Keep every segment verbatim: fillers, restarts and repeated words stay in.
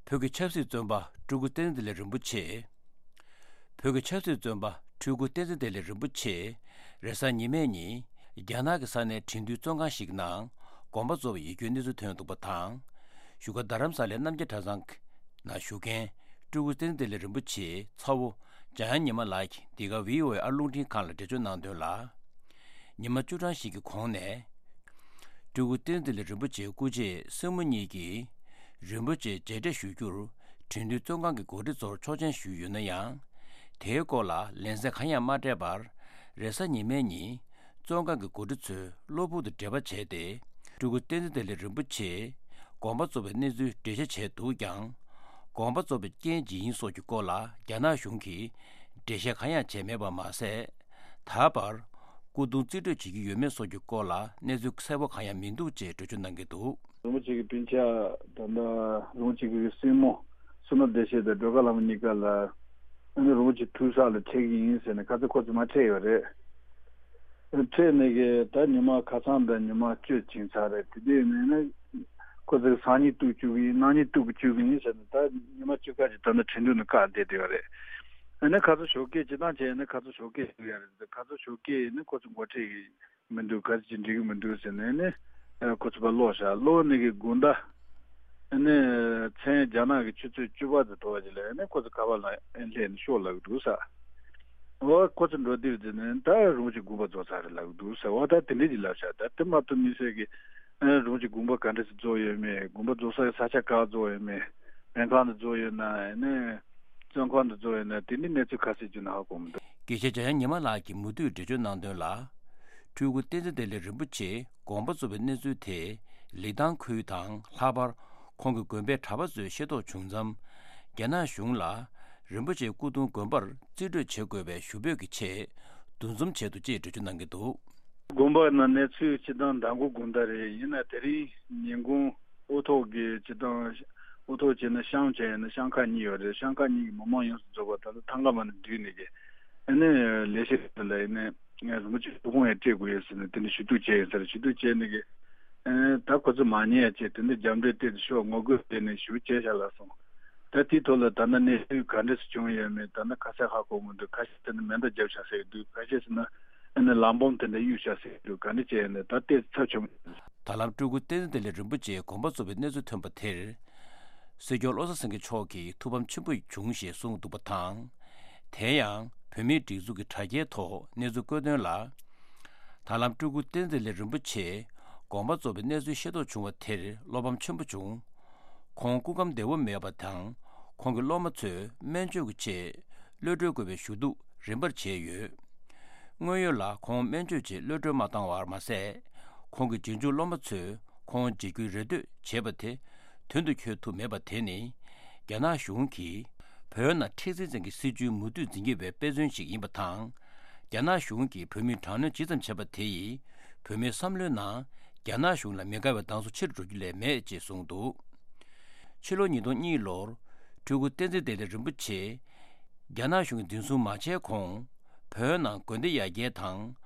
བོད་ཀྱི་ཆབ་སྲིད་བཙོན་པ་སྤྲུལ་སྐུ་བསྟན་འཛིན་བདེ་ལེགས་རིན་པོ་ཆེ། བོད་ཀྱི་ཆབ་སྲིད་བཙོན་པ་སྤྲུལ་སྐུ་བསྟན་འཛིན་བདེ་ལེགས་རིན་པོ་ཆེ་རེས་གཟའ་ཉི་མའི་ཉིན་རྒྱ་ནག་གི་ས་གནས་ཁྲིན་ཏུའུ་བཙོན་ཁང་ཞིག་ནང་དགོངས་པ་རྫོགས་པའི་ཡིད་སྐྱོའི་གནས་ཚུལ་ཐོན་འདུག་པ་དང་། བཞུགས་སྒར་རྡ་རམ་ས་ལའི་རྣམ་རྒྱལ་གྲྭ་ཚང་ནང་བཞུགས་མཁན་སྤྲུལ་སྐུ་བསྟན་འཛིན་བདེ་ལེགས་རིན་པོ་ཆེའི་ཚ་བོ་འཇམ་དབྱངས་ཉི་མ་ལགས་ཀྱིས་འདི་ག་བྷི་ཨོ་ཨེ་ཨ་རླུང་འཕྲིན་ཁང་ལ་འགྲེལ་བརྗོད་གནང་དོན་ལ། ཉི་མ་བཅུ་གྲངས་ཤིག་གི་གོང་ནས། སྤྲུལ་སྐུ་བསྟན་འཛིན་བདེ་ལེགས་རིན་པོ་ཆེའི་སྐུ་མཆེད་སྲིང་མོ་གཉིས་ཀྱིས་རིན་པོ་ཆེ་མཇལ་འཕྲད་ཞུ་རྒྱུར་ཁྲིན་ཏུའུ་བཙོན་ཁང་གི་འགོ་ཁྲིད་ཚོར་ཆོག་མཆན་ཞུས་ཡོད་ན་ཡང་། དེའི་སྐོར་ལ་ལན་གསལ་གང་ཡང་མ་སྤྲད་པར། རེས་གཟའ་ཉི་མའི་ཉིན་བཙོན་ཁང་གི་འགོ་ཁྲིད་ཚོས་གློ་བུར་དུ་འབྲེལ་བ་བྱས་ཏེ། སྤྲུལ་སྐུ་བསྟན་འཛིན་བདེ་ལེགས་རིན་པོ་ཆེ་དགོངས་པ་རྫོགས་པའི་གནས་ཚུལ་འགྲེལ་བཤད་བྱས་འདུག་ཀྱང་། དགོངས་པ་རྫོགས་པའི་རྐྱེན་ཇི་ཡིན་སོགས་ཀྱི་སྐོར་ལ་རྒྱ་ནག་གཞུང་གིས་འགྲེལ་བཤད་གང་ཡང་བྱས་མེད་པ་མ་ཟད། ད་བར་སྐུ་གདུང་རྩིས་སྤྲོད་བྱེད་ཀྱི་ཡོད་མེད་སོགས་ཀྱི་སྐོར་ལ་གནས་ཚུལ་གསལ་པོ་གང་ཡང་མི་འདུག་ཅེས་འགྲེལ་བརྗོད་གནང་གི་འདུག། རིན་པོ་ཆེ་གི་སྤུན་ཆ་ད་ལྟ་རིན་པོ་ཆེ་གི་སྲིང་མོ་བསོད་ནམས་བདེ་ཆེན་དང་སྒྲོལ་དཀར་ལྷ་མོ་གཉིས་ཀ་ལ་ཨ་ནི་རིན་པོ་ཆེ་ཐུག་ས་ལ་འཕྲད་ཀྱི་ཡིན་ཟེར་ནས་ཁ་སང་ཁོ་ཚོ་མར་འཕྲད་ཡོད་རེད། འཕྲད་ནས་གི་ད་ཉི་མ་ཁ་སང་དང་ཉི་མ་བཅུ་ཕྱིན་ཚར་རེད། དེ་དུས་ནས་ནི་ཁོ་ཚོས་སང་ཉིན་གཏུག་བཅུག་གི་ཡིན། གནངས་ཉིན་གཏུག་བཅུག་གི་ཡིན་ཟེར་ནས་ད་ཉི་མ་བཅུ་ཁ་ཅིག་ད་ནི་ཁྲིན་ཏུའུ་ནས་བཀག་བསྡད་བསྡད་ཡོད་རེད། ཨ་ནི་ཁ་སང་ཞོགས་ཀས་སྤྱིར་བཏང་བྱས་ནས་ཁ་སང་ཞོགས་ཀས་ཞུ་ཡ་རེད། ཁ་སང་ཞོགས་ཀས་ནི་ཁོ་ཚོ་འགོ་ཁྲིད་ཀྱི་མི་འདུག། ག་ཚོད་ཅིག་འགྲིག་གི་མི་འདུག་ཟེར་ནས་ནི་ཁོ་ཚོ་ཕར་སློག་བཞག། སློག་ནས་གི་དགོང་དག་ནི་མཚན་རྒྱ་ནག་གི་ཆུ་ཚོད་བཅུ་པ་ཙམ་འགྲོ་བ་ཅིག་ལ་ནི་ཁོ་ཚོ་ཁ་པར་ལ་སླེབས་ནས་ཤོག་ལབ་གི་འདུག་ས། འོ་ཁོ་ཚོ་འགྲོ་དུས་ཙམ་ནས་ད་རིན་པོ་ཆེ་དགོངས་པ་རྫོགས་ཚར་རེད་ལབ་གི་འདུག་ས། འོ་ད་དེ་འདྲས་ཅིག་ལབ་བཞག། ད་དེ་མ་གཏོགས་དམིགས་བསལ་གྱི་རིན་པོ་ཆེ་དགོངས་པ་ག་འདྲས་སེ་རྫོགས་ཡོད་མེད། དགོངས་པ་རྫོགས་ས་གི་ས་ཆ་ག་རྫོགས་ཡོད་མེད། སྨན་ཁང་དུ་རྫོགས་ཡོད་ན་ནི། བཙོན་ཁང་དུ་རྫོགས་ཡོད་ན་དེ་འདྲའི་གནས་ཚུལ་ཁ་གསལ་རྒྱུ་ན་ཧ་གོ་མི་འདུག། དགེ་བཤེས་འཇམ་དབྱངས་ཉི་མ་ལགས་ཀྱིས་མུ་མཐུད་འགྲེལ་བརྗོད་གནང་དོན་ལ། སྤྲུལ་སྐུ་བསྟན་འཛིན་བདེ་ལེགས་རིན་པོ་ཆེ་དགོངས་པ་རྫོགས་པའི་གནས་ཚུལ་དེ་ལི་ཐང་ཁུལ་དང་ལྷག་པར་ཁོང་གི་དགོན་པའི་གྲྭ་པ་ཚོས་ཤེས་རྟོགས་བྱུང་མཚམས། རྒྱ་ནག་གཞུང་ལ་རིན་པོ་ཆེའི་སྐུ་གདུང་དགོན་པར་རྩིས་སྤྲོད་བྱེད་དགོས་པའི་ཞུ་འབོད་ཀྱི་ཆེད་འདུ་འཛོམས་བྱས་འདུག་ཅེས་འགྲེལ་བརྗོད་གནང་གི་འདུག། དགོན་པ་ནང་གནས་ཚུལ་སྤྱིར་བཏང་མདང་དགོང་དགོང་དག་རེད། ཡིན་ན་དེ་རིང་ཉིན་གུང་དབུ་ཐོག་གི་སྤྱིར་བཏང་དབུ་ཐོག་བྱས་ན་ཤང་བྱས་ཡིན་ན་ཤང་ཁག་གཉིས་ཡོད་རེད། ཤང་ཁག་གཉིས་ཀྱི་མི་མང་ཡོངས་སུ་རྫོགས་པ་ད་ལྟ་ཐང་ག་མ་ནས་བསྡུས་ནས་ཀྱི་ཨ་ནི་ལས་བྱེད་ལ་ཡིན་ནའི་རིན་པོ་ཆེ་ཐུགས་དགོངས་ཡང་སྤྲད་དགོས་ཡོད་ཟེར་ནས་དེ་འདྲ་ཞུ་གཏུག་བྱས་ཡོད་ས་རེད། ཞུ་གཏུག་བྱས་ནས་ཀྱི་ཨ་ནི་ད་ཁོ་ཚོ་མ་ཉན་ཡ་བྱས་དེ་འདྲ་རྒྱབ་འགྲེལ་སྤྲད་དེ་ཤོག་ངོ་རྒོལ་བྱས་ནས་ཞུ་བྱས་བཞག་ལབ་སོང་། ད་དེའི་ཐོག་ལ་ད་ལྟ་གནས་ཚུལ་ག་འདྲ་ཞིག་བྱུང་ཡོད་མེད་ད་ལྟ་ཁ་གསལ་ཧ་གོ་མི་འདུག། ཁ་ཤས་ཟེར་ན་མེ་མདའ་བརྒྱབ་བཞག་ཟེར་གྱི་འདུག། ཁ་ཤས་ཟེར་ན་ཨ་ནི་ལམ་བམ་དེ་འདྲ་གཡུགས་བཞག་ཟེར་གྱི་འདུག། ག་འདྲ་བྱས་ཡོད་ན་ད་ལྟའི་ཚབ་བྱུང་། ད་ལམ་སྤྲུལ་སྐུ་བསྟན་འཛིན་བདེ་ལེགས་རིན་པོ་ཆེའི་དགོངས་པ་རྫོགས་པའི་གནས་ཚུལ་ཐོན་པ་དེར། སྲིད་སྐྱོང་བློ་བཟང་སེང་གེ་མཆོག་གིས་ཐུགས་ཕམ་ཆེན་པོ་བྱུང་ཞེས་གསུངས་འདུག་པ་དང་། དེ་ཡང་བོད་མིའི་སྒྲིག་འཛུགས་ཀྱི་དྲ་རྒྱའི་ཐོག་གནས་ཚུལ་བཀོད་དོན་ལ། ད་ལམ་སྤྲུལ་སྐུ་བསྟན་འཛིན་བདེ་ལེགས་རིན་པོ་ཆེ་དགོངས་པ་རྫོགས་པའི་གནས་ཚུལ་ཤེས་རྟོགས་བྱུང་བ་དེར་བློ་ཕམ་ཆེན་པོ་བྱུང་། ཁོང་སྐུ་ཁམས་བདེ་བོ་མེད་པ་དང་། ཁོང་གི་སློབ་མ་ཚོས་སྨན་བཅོས་ཀྱི་ཆེད་གློད་གྲོལ་དགོས་པའི་ཞུ་གཏུག་རིམ་པར་བྱས་ཡོད། དངོས་ཡོད་ལ་ཁོང་སྨན་བཅོས་ཆེད་གློད་གྲོལ་མ་བཏང་བར་མ་ཟད། ཁོང་གི་རྗེས་འཇུག་སློབ་མ་ཚོས་ཁོང་མཇལ་རྒྱུའི་རེ་ལྟོས་བྱས་པ་དེ་དོན་དུ་འཁྱོལ་ཐུབ་མེད་པ་དེ་ནི། རྒྱ་ནག་གཞུང་གིས་བོད་ནང་མཁྲེགས་འཛིན་ཅན་གྱི་སྲིད་བྱུས་མུ་མཐུད་འཛིན་གྱི་བའི་དཔེ་མཚོན་ཞིག་ཡིན་པ་དང་། རྒྱ་ནག་གཞུང་གིས་བོད་མིར་དྲག་གནོན་ཇི་ཙམ་བྱས་པ་དེ་ཡིས། བོད་མིའི་བསམ་བློའི་ནང་རྒྱ་ནག་གཞུང་ལ་མི་དགའ་བའི་གདེང་ཚོད་ཆེ་རུ་འགྲོ་རྒྱུ་ལས་མེད་ཅེས་གསུངས་འདུག། ཕྱི་ལོ་ཉིས་སྟོང་གཉིས་ལོར་སྤྲུལ་སྐུ་བསྟན་འཛིན་བདེ་ལེགས་རིན་པོ་ཆེ་རྒྱ་ནག་གཞུང་གིས་འཛིན་བཟུང་མ་བྱས་གོང་། བོད་ནང་དགོན་སྡེ་ཡར་རྒྱས་དང་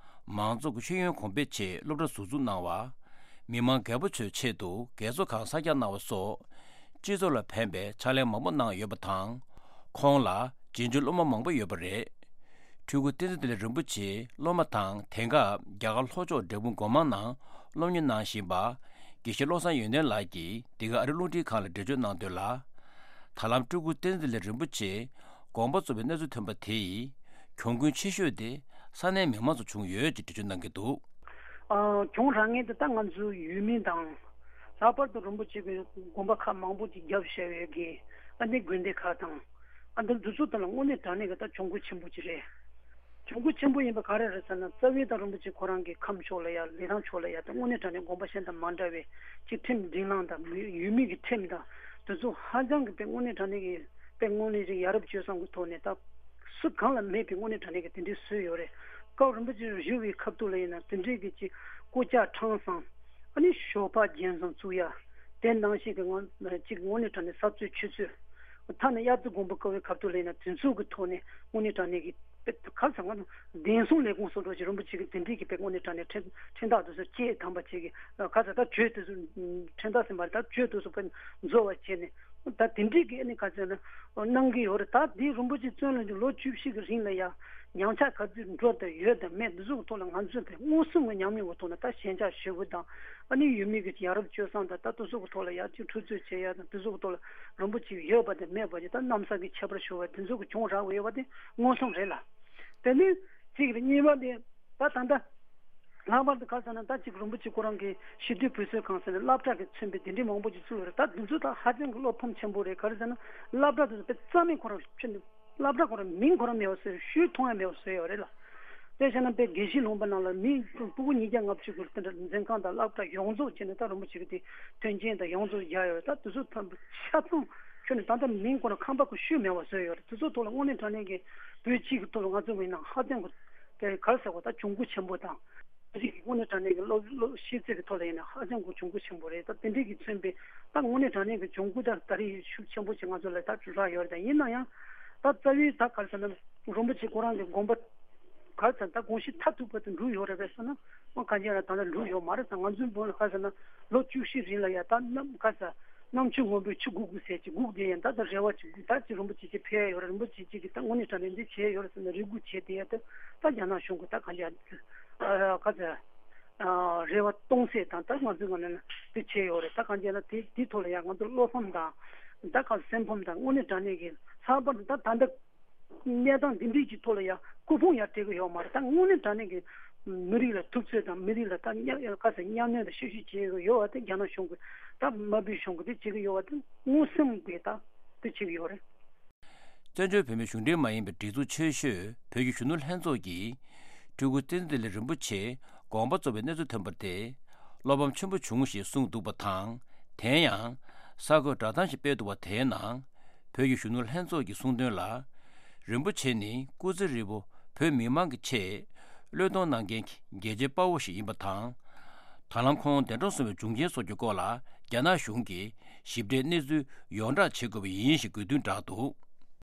མང་ཚོགས་ཀྱི་ཤེས་ཡོན་གོང་སྤེལ་ཆེད་སློབ་གྲྭ་ཟུར་འཛུགས་གནང་བ། མི་མང་རྒད་པོ་ཚོའི་ཆེད་དུ་རྒས་གསོ་ཁང་གསར་རྒྱག་གནང་བ་སོགས། སྤྱི་ཚོགས་ལ་ཕན་པའི་ཕྱག་ལས་མང་པོ་གནང་ཡོད་པ་དང་། ཁོང་ལ་རྗེས་འཇུག་སློབ་མ་མང་པོ་ཡོད་པ་རེད། སྤྲུལ་སྐུ་བསྟན་འཛིན་བདེ་ལེགས་རིན་པོ་ཆེའི་སློབ་མ་དང་དེང་སྐབས་རྒྱ་གར་ལྷོ་ཕྱོགས་འབྲས་སྤུངས་སྒོ་མང་ནང་སློབ་གཉེར་གནང་བཞིན་པ། དགེ་བཤེས་བློ་བཟང་ཡོན་ཏན་ལགས་ཀྱིས་འདི་ག་ཨ་རི་རླུང་འཕྲིན་ཁང་ལ་འགྲེལ་བརྗོད་གནང་དོན་ལ། ད་ལམ་སྤྲུལ་སྐུ་བསྟན་འཛིན་བདེ་ལེགས་རིན་པོ་ཆེ་དགོངས་པ་རྫོགས་པའི་གནས་ཚུལ་ཐོན་པ་དེ་ཡིས་གྱོང་གུན་ཆེ་ཤོས་དེ་ས་གནས་མི་མང་ཚོ་བྱུང་ཡོད་ཅེས་འགྲེལ་བརྗོད་གནང་གི་འདུག། ཨ། གྱོང་རག་མཁན་དེ་ད་ང་ཚོ་ཡུལ་མི་དང་། ལྷག་པར་དུ་རིན་པོ་ཆེ་གི་དགོན་པ་ཁག་མང་པོ་ཅིག་བརྒྱབ་བཞག་ཡོད་གི། ཨ་ནི་དགོན་སྡེ་ཁག་དང་། ཨ་འདི་འདི་ཚོ་དེ་ལ་དངོས་གནས་དྲང་གནས་ཀྱི་ད་གྱོང་གུད་ཆེན་པོ་ཅིག་རེད། གྱོང་གུད་ཆེན་པོ་ཡིན་པ་ག་རེ་རེད་ཟེར་ན། རྩ་བའི་ད་རིན་པོ་ཆེ་ཁོ་རང་གི་ཁམས་ཕྱོགས་ལ་ཡ་ལི་ཐང་ཕྱོགས་ལ་ཡ་ད་དངོས་གནས་དྲང་གནས་དགོན་པ་གཞན་དང་མ་འདྲ་བའི་ཅིག་ཁྲིམས་སྒྲིག་ལམ་དང་མི་ཡུལ་མི་གི་ཁྲིམས་དང་དེ་ཚོ་ཧ་ཅང་གི་དཔེ་དངོས་གནས་དྲང་གནས་ཀྱི་དཔེ་དངོས་གནས་ཅིག་ཡ་རབས་སྤྱོད་བཟང་གི་ཐོག་ནས་ད། སུ་གང་ལ་མེད་པའི་དངོས་གནས་དྲང་གནས་ཀྱི་དེ་འདྲའི་སྲོལ་ཡོད་རེད། སྐབས་རིན་པོ་ཆེ་བཞུགས་པའི་ཁ་ཐུག་ལ་ཡིན་ན་དེ་འདྲའི་གི་ཅིག་སྐུ་ལྕགས་ཁྲང་བཟང་། ཨ་ནི་ཞོགས་པ་རྒྱན་བཟང་བཙུགས་ཡ། དེ་ནང་བཞིན་གྱི་ངོ་ཅིག་དངོས་གནས་དྲང་གནས་ས་རྩོད་ཆུ་རྩོད། ཐ་ན་དབྱར་རྩྭ་དགུན་འབུ་བརྐོ་བའི་ཁ་ཐུག་ལ་ཡིན་ན་དེ་ཚོ་གི་ཐོག་ནས་དངོས་གནས་དྲང་གནས་ཀྱི་ཁ་ཚ་ང་བདེན་སྲུང་ལས་ཁུངས་སུ་འགྲོ་ཅིག་རིན་པོ་ཆེ་གི་དེ་འདྲའི་གི་དཔེ་དངོས་གནས་དྲང་གནས་ཁྲིམས་ཁྲིམས་ཐག་དེ་ཚོ་བཅད་དམ་པ་ཅིག་གི་ཁ་ཚ་ད་བྱོས་དེ་ཚོ་ཁྲིམས་ཐག་ཟིན་པ་རེད། ད་བྱོས་དེ་ཚོ་དཔེ་འཛོལ་བ་བྱས་ནས། ད་དེ་འདྲའི་གི་ཨ་ནི་ག་ཚོད་ན་གནང་གི་ཡོད་རེད། ད་དེ་རིན་པོ་ཆེ་བཙོན་ལ་འཇུག་ལོ་བཅུ་བཞི་གི་རིང་ལ་ཡ་ཉམས་ཆག་ག་ཚོད་འགྲོ་དང་ཡོད་དང་མེད་འདི་ཚོ་གི་ཐོག་ལ་ང་ཚོས་དེ་མངོན་སུམ་གྱི་ཉམས་མྱོང་གི་ཐོག་ནས་ད་ཞལ་ཕྱག་ཞུ་དགོས་དང་ཨ་ནི་ཡུལ་མི་གི་ཡ་རབས་སྤྱོད་བཟང་དང་ད་དེ་ཚོ་གི་ཐོག་ལ་ཡ་ཅིག་འཁྲུག་རྩོད་བྱེད་ཡ་དང་དེ་ཚོ་གི་ཐོག་ལ་རིན་པོ་ཆེ་ཡོད་པ་དང་མེད་པ་ཅིག་ད་གནམ་ས་གི་ཁྱད་པར་ཤོར་བ་དེ་ཚོ་གི་བྱུང་རག་ཡོད་པ་དེ་མངོན་སུམ་རེད་ལ། དེ་ནི་གཅིག་རེད། གཉིས་པ་དེ་ད་ད་ལྟ། ལྷག་པར་དུ་ག་ཟེར་ན་ད་ཅིག་རིན་པོ་ཆེ་ཁོ་རང་གི་ཞི་བདེ་བོད་གསོལ་ཁང་ཟེར་ནས་སློབ་གྲྭ་གི་མཚོན་པའི་དེ་འདྲའི་མང་པོ་ཅིག་བཙུགས་ཡོད་རེད། ད་འདི་ཚོ་ད་ཧ་ཅང་གི་བློ་ཕམ་ཆེན་པོ་རེད། ག་རེ་ཟེར་ན་སློབ་གྲྭ་དེ་ཚོ་དཔེ་རྩ་མེད་ཁོ་རང་ཕྱིན་འདུག་སློབ་གྲྭ་ཁོ་རང་མིང་ཁོ་རང་མེད་པ་བཟོས། ཤུལ་མཐོང་ཡ་མེད་པ་བཟོས་ཡོད་རེད་ལ། དཔེ་བྱས་ན་དཔེ་དགེ་བཤེས་ལུང་པ་ནང་ལ་མི་སྤུ་གུ་ཉིས་བརྒྱ་ལྔ་བཅུ་གི་དེ་འདྲ་འཛིན་ཁང་དང་སློབ་གྲྭ་ཡོངས་རྫོགས་བྱས་ནས་ད་རིན་པོ་ཆེ་གི་དེ་མཐུན་རྐྱེན་དང་ཡོངས་རྫོགས་བཞག་ཡོད་རེད། ད་དེ་ཚོ་ཐམས་ཆ་ཚང་ཁྱོན་ནས་ད་ལྟ་མིང་ཁོ་རང་ཁང་པ་ཁོ་ཤུལ་མེད་པ་བཟོས་ཡོད་རེད། དེ་ཚོ་ཐོག་ལ་དངོས་གནས་དྲང་གནས་ཀྱི་བོད་སྤྱི་གི་ཐོག་ལ་ང་ཚོ་མི་ནང་ཧ་ཅང་གི་དེ་ག་རེ་ཟེར་བ་ད་གྱོང་གུད་ཆེན་པོ་དང་། རིགས་ཀྱི་དངོས་གནས་དྲང་གནས་ཀྱི་སློབ་སློབ་ཤེས་ཚད་ཀྱི་ཐོག་ལ་ཡིན་ན་ཧ་ཅང་གི་གྱོང་གུད་ཆེན་པོ་རེད། ད་དེ་འདྲའི་གི་མཚོན་པའི་ད་དངོས་གནས་དྲང་གནས་ཀྱི་གྱོང་གུད་ད་ད་རེས་ཤུགས་ཆེན་པོ་ཞིག་ང་ཚོ་ལ་ད་རག་ཡོད་རེད། ད་ཡིན་ན་ཡང་ད་རྩ་བའི་ད་ག་རེ་ཟེར་ན་རིན་པོ་ཆེ་ཁོ་རང་གི་དགོངས་པ་ག་རེ་ཟེར་ད་དགོངས་གཞི་མཐར་ཐུག་པ་དེ་འགྲུབ་ཡོད་རེད་པས་ཟེར་ན་ཨོ་གང་ཅི་ཡང་ད་ལྟ་འགྲུབ་ཡོད་མ་རེད། ད་ང་ཚོའི་བོད་ལ་ག་རེ་ཟེར་ན་ལོ་བཅུ་བཞི་རིང་ལ་ཡ་ད་ནམ་ག་རེ་ཟེར། རྣམ་དཔྱོད་སྔོན་པོའི་ཆུ་སྒུག་སྒུག་ཟེར་གྱི་སྒུག་བསྡད་ཡང་ད་ལྟ་རེ་བ་ཅིག་སྒུག་ད་ཅི་རིན་པོ་ཆེ་ཅིག་ཕེབས་ཡོད་རེད། རིན་པོ་ཆེ་ཅིག་གིས་ད་དངོས་གནས་དྲང་གནས་འདི་བྱས་ཡོད་རེད་ཟེར་ནས་རེ་སྒུག་བྱས་བསྡད་ཡ་ད་ད་རྒྱ་ནག་གཞུང་གིས་ད་གང་ཅི་ཨ་ག་ཚོད་ཨ་རེ་བ་སྟོང་ཟད་དང་ད་ང་ཚོའི་ངོས་ནས་འདི་བྱས་ཡོད་རེད། ད་གང་ཅི་ན་དེ་དེའི་ཐོག་ལ་ཡང་ང་ཚོ་བློ་ཕམ་དང་ད་ག་སེམས་ཕམ་དང་དངོས་གནས་དྲང་གནས་ཀྱི་ལྷག་པར་དུ་ད་ད་ལྟ། གནས་སྟངས་འདི་འདྲའི་གི་ཐོག་ལ་ཡང་སྐུ་ཕུང་ཡང་སྤྲད་གི་ཡོད་མ་རེད། ད་དངོས་གནས་དྲང་གནས་ཀྱི་མི་རིགས་ལ་ཐུབ་ཚོད་དང་མི་རིགས་ལ་ད་གཉའ་ག་ས་གཉའ་གནོན་དང་བཤུ་གཞོག་བྱེད་གི་ཡོད་པ་དེ་རྒྱ་ནག་གཞུང་གི་ད་དམར་པོའི་གཞུང་གི་དེ་བྱེད་གི་ཡོད་པ་དེ་མངོན་སུམ་གྱི་ད་དེ་བྱེད་གི་ཡོད་རེད། བཙན་བྱོལ་བོད་མིའི་གཞུང་འབྲེལ་མ་ཡིན་པའི་སྒྲིག་འཛུགས་ཆེ་ཤོས་བོད་ཀྱི་གཞོན་ནུ་ལྷན་ཚོགས་ཀྱིས་སྤྲུལ་སྐུ་བསྟན་འཛིན་བདེ་ལེགས་རིན་པོ་ཆེ་དགོངས་པ་རྫོགས་པའི་གནས་ཚུལ་ཐོན་པར་ཐེ་བློ་ཕམ་ཆེན་པོ་བྱུང་ཞེས་གསུངས་འདུག་པ་དང་། དེ་ཡང་གསར་འགོད་བསྒྲགས་གཏམ་ཞིག་སྤེལ་འདུག་པ་དེའི་ནང་། བོད་ཀྱི་གཞོན་ནུ་ལྷན་ཚོགས་ཀྱིས་གསུངས་དོན་ལ། རིན་པོ་ཆེ་ནི་སྐུ་ཚེ་ཧྲིལ་པོ་བོད་མི་མང་གི་ཆེད་བློས་གཏོང་གནང་མཁན་གྱི་རྒྱལ་གཅེས་དཔའ་བོ་ཞིག་ཡིན་པ་དང་། ད་ལམ་ཁོང་འདས་གྲོངས་སོང་བའི་འབྱུང་རྐྱེན་སོགས་ཀྱི་སྐོར་ལ་རྒྱ་ནག་གཞུང་གིས་ཞིབ་ཕྲའི་གནས་ཚུལ་ཡོངས་བསྒྲགས་བྱེད་དགོས་པ་ཡིན་ཞེས་དགོས་འདུན་བསྒྲགས་འདུག།